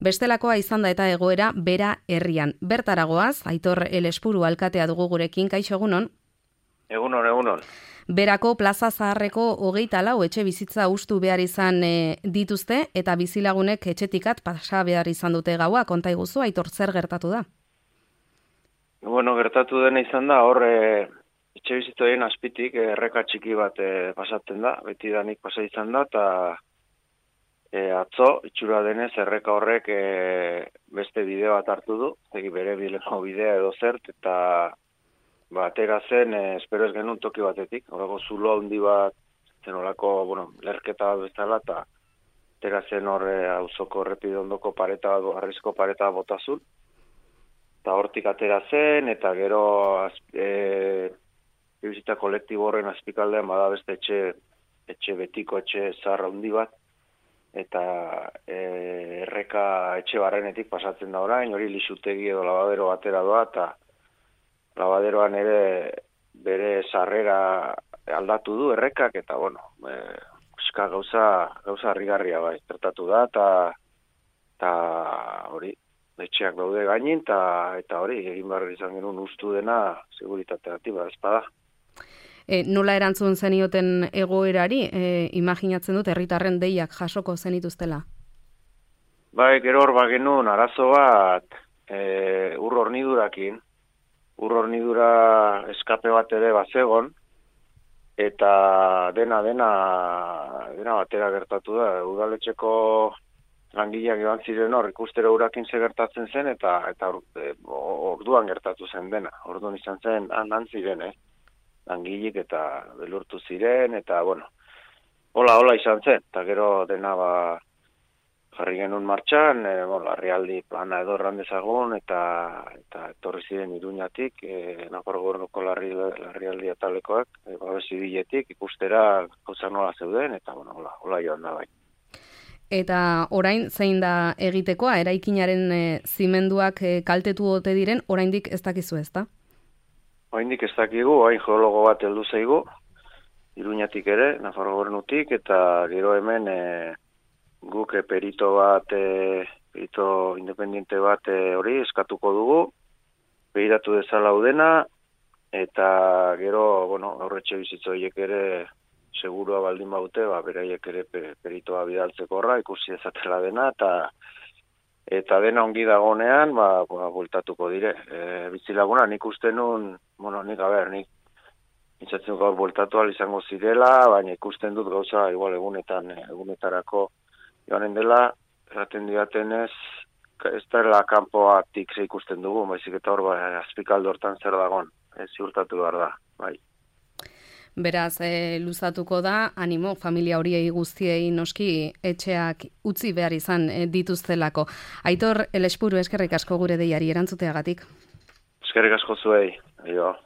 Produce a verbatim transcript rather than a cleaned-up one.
Bestelakoa izan da eta egoera Bera herrian. Bertaragoaz, Aitor Elespuru alkatea dugu gurekin, kaixo egunon? Egunon, egunon. Berako Plaza Zaharreko hogeita lau etxe bizitza hustu behar izan e, dituzte eta bizilagunek etxetikat pasa behar izan dute gaua. Konta iguzu, Aitor, zer gertatu da? Bueno, gertatu dena izan da, hor e, etxe bizitzoen azpitik erreka txiki bat e, pasatzen da, beti danik pasa izan da, eta e, atzo, itxura denez, erreka horrek e, beste bideo bat hartu du, egi bere bileko bidea edo zert, eta ba, atera zen, e, espero ez genuen toki batetik, horako zulo handi bat, zen horako, bueno, lerketa bat bezala, eta atera zen horre auzoko errepide ondoko pareta bat, arrizko pareta bat botazun, eta hortik atera zen, eta gero e, bizita kolektibo horren azpikaldean bada beste etxe, etxe betiko etxe zaharra handi bat, eta e, erreka etxe barrenetik pasatzen da orain, hori lixutegi edo labadero batera doa, eta labaderoan ere bere sarrera aldatu du errekak, eta bueno, e, eska gauza, gauza harrigarria bai, tratatu da, eta eta hori, etxeak daude gainin, eta eta hori, egin behar izan genuen ustu dena seguritateatik bada espada. E, nola erantzun zenioten egoerari, e, imaginatzen dut herritarren deiak jasoko zenituztela? Bai, gero hor bagenuen arazo bat e, ur hornidurakin, ur hornidura eskape bat ere bazegon, eta dena, dena, dena batera gertatu da, udaletxeko langileak joan ziren hor, ikustera urakin ze gertatzen zen, eta eta e, orduan gertatu zen dena, orduan izan zen, han ziren, eh? Langileak eta belurtu ziren, eta bueno, hola, hola izan zen, eta gero dena ba, jarri genuen martxan, e, bueno, larrialdi plana edo erran dezagun, eta eta etorri ziren Iruñatik, e, Nafarroa Gobernuko larri, larrialdi atalekoak, e, babesi biletik, ikustera gauza nola zeuden, eta bueno, hola, hola joan da bai. Eta orain zein da egitekoa, eraikinaren e, zimenduak e, kaltetu ote diren, oraindik ez dakizu ez da? Oraindik ez dakigu, hain geologo bat heldu zaigu, Iruñatik ere, Nafarroa Gobernutik, eta gero hemen e, guk e, perito bat, e, perito independiente bat e, hori eskatuko dugu, behiratu dezala udena, eta gero, bueno, aurretxe bizitzo horiek ere segurua baldin baute, ba, beraiek ere peritoa bidaltzeko horra, ikusi ezatela dena, eta eta dena ongi dagonean, ba, ba bueltatuko dire. E, bizilaguna, nik uste nun, bueno, nik, a ber, nik intzatzen gaur bueltatu izango zirela, baina ikusten dut gauza, igual egunetan, egunetarako joanen dela, eraten diatenez, ez dela kanpoatik ze ikusten dugu, baizik eta hor, ba, azpikaldo hortan zer dagon, ez ziurtatu behar da, bai. Beraz, e, luzatuko da, animo, familia horiei guztiei noski etxeak utzi behar izan e, dituztelako. Aitor Elespuru, eskerrik asko gure deiari erantzuteagatik. Eskerrik asko zuei, aio.